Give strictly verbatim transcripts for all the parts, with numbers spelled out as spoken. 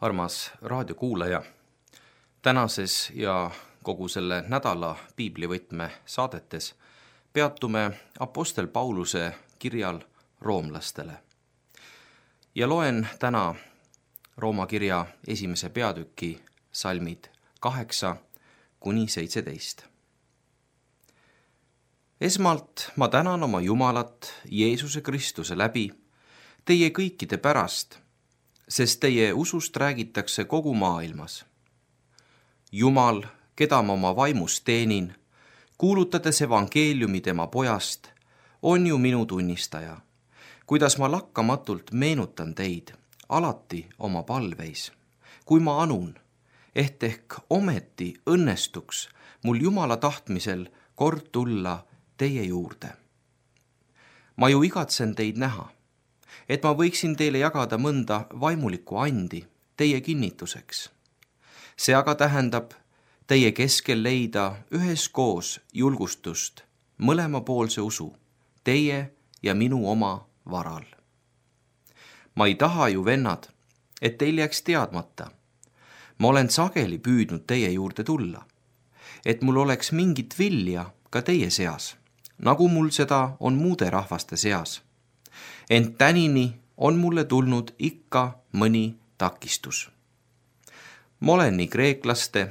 Armas raadiokuulaja, tänases ja kogu selle nädala piiblivõtme saadetes peatume Apostel Pauluse kirjal roomlastele. Ja loen täna Rooma kirja esimese peatüki salmid kaheksa kuni seitseteist. Esmalt ma tänan oma Jumalat Jeesuse Kristuse läbi teie kõikide pärast, sest teie usust räägitakse kogu maailmas. Jumal, keda ma oma vaimus teenin, kuulutades evangeeliumi tema pojast, on ju minu tunnistaja, kuidas ma lakkamatult meenutan teid alati oma palveis, kui ma anun, et ehk ometi õnnestuks mul Jumala tahtmisel kord tulla teie juurde. Ma ju igatsen teid näha, et ma võiksin teile jagada mõnda vaimulikku andi teie kinnituseks. See aga tähendab teie keskel leida üheskoos julgustust mõlemapoolse usu, teie ja minu oma varal. Ma ei taha ju, vennad, et teil jääks teadmata. Ma olen sageli püüdnud teie juurde tulla, et mul oleks mingit vilja ka teie seas, nagu mul seda on muude rahvaste seas. Ent tänini on mulle tulnud ikka mõni takistus. Ma olen nii kreeklaste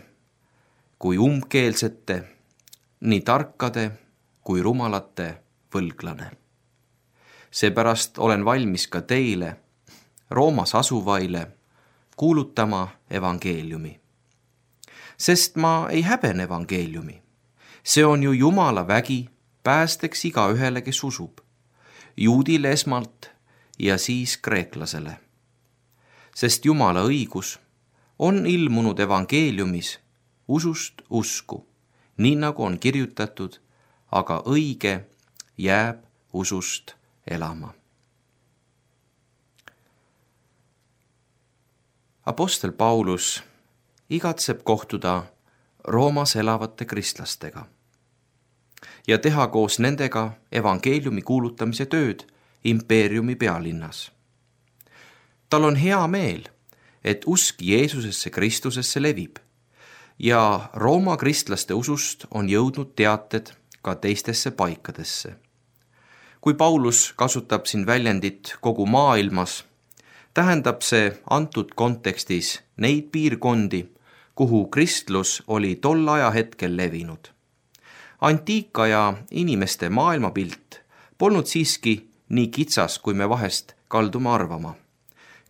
kui umbkeelsete, nii tarkade kui rumalate võlglane. Seepärast olen valmis ka teile, Roomas asuvaile, kuulutama evangeeliumi. Sest ma ei häbene evangeeliumi. See on ju Jumala vägi päästeks iga ühele, kes usub. Juudile esmalt ja siis kreeklasele. Sest Jumala õigus on ilmunud evangeeliumis usust usku, nii nagu on kirjutatud, aga õige jääb usust elama. Apostel Paulus igatseb kohtuda Roomas elavate kristlastega ja teha koos nendega evangeeliumi kuulutamise tööd impeeriumi pealinnas. Tal on hea meel, et usk Jeesusesse Kristusesse levib ja Rooma kristlaste usust on jõudnud teated ka teistesse paikadesse. Kui Paulus kasutab siin väljendit kogu maailmas, tähendab see antud kontekstis neid piirkondi, kuhu kristlus oli tol ajahetkel levinud. Antiikaja inimeste maailmapilt polnud siiski nii kitsas, kui me vahest kaldume arvama.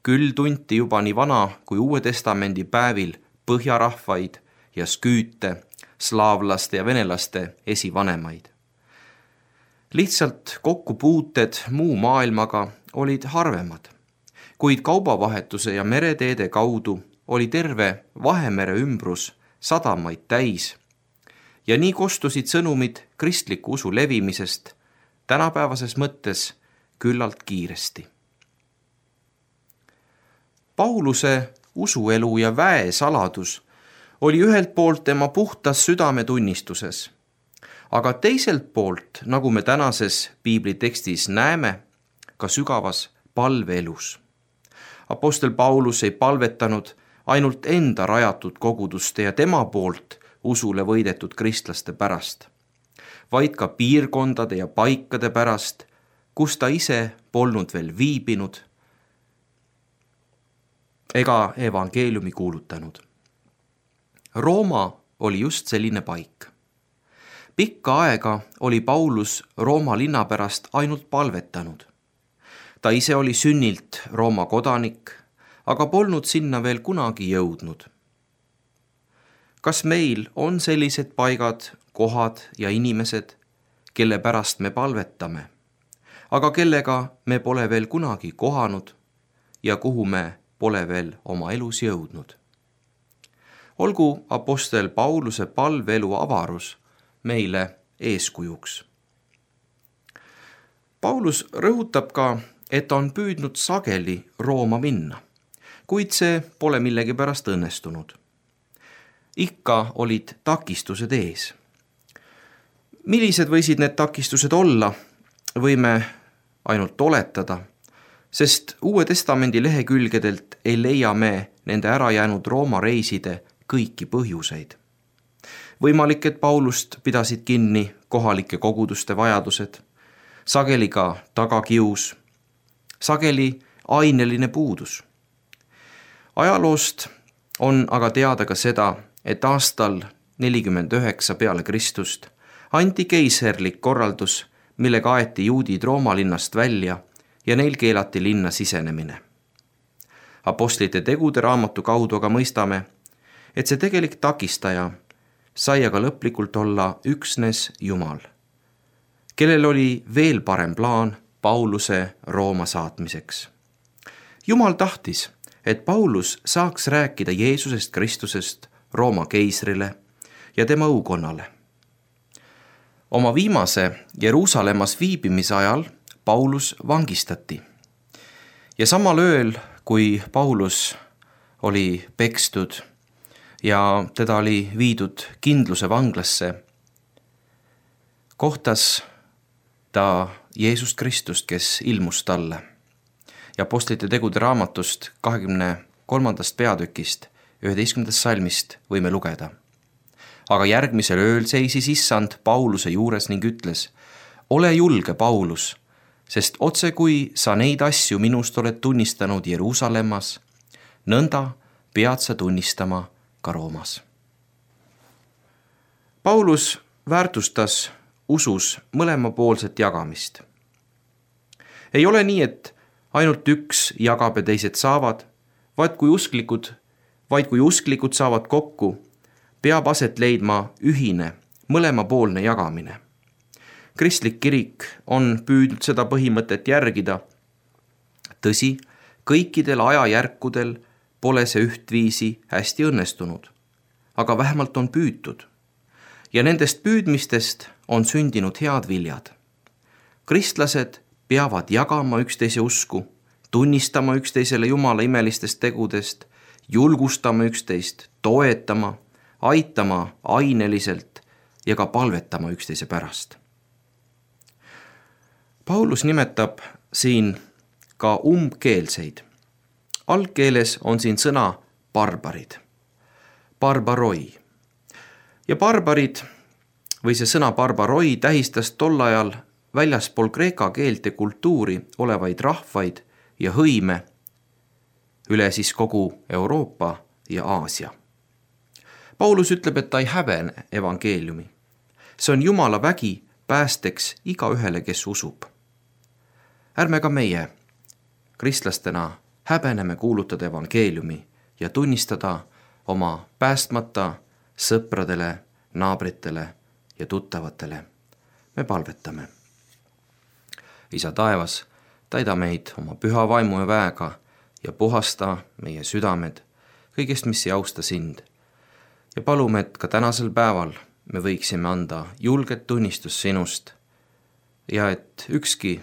Küll tunti juba nii vana kui Uue Testamendi päevil põhjarahvaid ja sküüte, slaavlaste ja venelaste esivanemaid. Lihtsalt kokkupuuted muu maailmaga olid harvemad, kuid kaubavahetuse ja mereteede kaudu oli terve Vahemere ümbrus sadamaid täis ja nii kostusid sõnumid kristliku usu levimisest tänapäevases mõttes küllalt kiiresti. Pauluse usuelu ja väe saladus oli ühelt poolt tema puhtas südametunnistuses, aga teiselt poolt, nagu me tänases piiblitekstis näeme, ka sügavas palveelus. Apostel Paulus ei palvetanud ainult enda rajatud koguduste ja tema poolt usule võidetud kristlaste pärast, vaid ka piirkondade ja paikade pärast, kus ta ise polnud veel viibinud ega evangeeliumi kuulutanud. Rooma oli just selline paik. Pikka aega oli Paulus Rooma linna pärast ainult palvetanud. Ta ise oli sünnilt Rooma kodanik, aga polnud sinna veel kunagi jõudnud. Kas meil on sellised paigad, kohad ja inimesed, kelle pärast me palvetame, aga kellega me pole veel kunagi kohanud ja kuhu me pole veel oma elus jõudnud? Olgu apostel Pauluse palveelu avarus meile eeskujuks. Paulus rõhutab ka, et on püüdnud sageli Rooma minna, kuid see pole millegipärast õnnestunud. Ikka olid takistused ees. Millised võisid need takistused olla, võime ainult oletada, sest Uue Testamendi lehekülgedelt ei leia me nende ära jäänud Rooma reiside kõiki põhjuseid. Võimalik, et Paulust pidasid kinni kohalike koguduste vajadused, sageli ka tagakius, sageli aineline puudus. Ajaloost on aga teada ka seda, et aastal nelikümmend üheksa peale Kristust anti keiserlik korraldus, millega aeti juudid Rooma linnast välja ja neil keelati linna sisenemine. Apostlite tegude raamatu kaudu aga mõistame, et see tegelik takistaja sai aga lõplikult olla üksnes Jumal, kellel oli veel parem plaan Pauluse Rooma saatmiseks. Jumal tahtis, et Paulus saaks rääkida Jeesusest Kristusest Rooma keisrile ja tema õukonnale. Oma viimase Jeruusalemmas viibimise ajal Paulus vangistati ja samal ööl, kui Paulus oli pekstud ja teda oli viidud kindluse vanglasse, kohtas ta Jeesust Kristust, kes ilmus talle. Ja Apostlite tegude raamatust kahekümne kolmandast peatükist üheteistkümnendast salmist võime lugeda. Aga järgmisel ööl seisis issand Pauluse juures ning ütles: ole julge, Paulus, sest otse kui sa neid asju minust oled tunnistanud Jeruusalemmas, nõnda pead sa tunnistama ka Roomas. Paulus väärtustas usus mõlemapoolset jagamist. Ei ole nii, et ainult üks jagab ja teised saavad, vaid kui usklikud, vaid kui usklikud saavad kokku, peab aset leidma ühine, mõlemapoolne jagamine. Kristlik kirik on püüdnud seda põhimõtet järgida. Tõsi, kõikidel ajajärkudel pole see ühtviisi hästi õnnestunud, aga vähemalt on püütud. Ja nendest püüdmistest on sündinud head viljad. Kristlased peavad jagama üksteise usku, tunnistama üksteisele Jumala imelistest tegudest, julgustama üksteist, toetama, aitama aineliselt ja ka palvetama üksteise pärast. Paulus nimetab siin ka umbkeelseid. Algkeeles on siin sõna barbarid, barbaroi. Ja barbarid või see sõna barbaroi tähistas tol ajal väljaspool kreeka keelt ja kultuuri olevaid rahvaid ja hõime üle siis kogu Euroopa ja Aasia. Paulus ütleb, et ta ei häbene evangeeliumi. See on Jumala vägi päästeks igaühele, kes usub. Ärme ka meie kristlastena häbeneme kuulutada evangeeliumi ja tunnistada oma päästmata sõpradele, naabritele ja tuttavatele. Me palvetame. Isa taevas, täida meid oma püha vaimu ja väega ja puhasta meie südamed kõigest, mis ei austa sind. Ja palume, et ka tänasel päeval me võiksime anda julget tunnistust sinust ja et ükski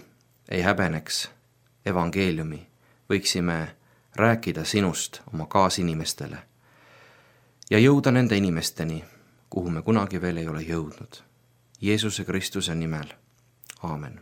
ei häbeneks evangeeliumi, võiksime rääkida sinust oma kaasinimestele ja jõuda nende inimesteni, kuhu me kunagi veel ei ole jõudnud. Jeesuse Kristuse nimel. Aamen.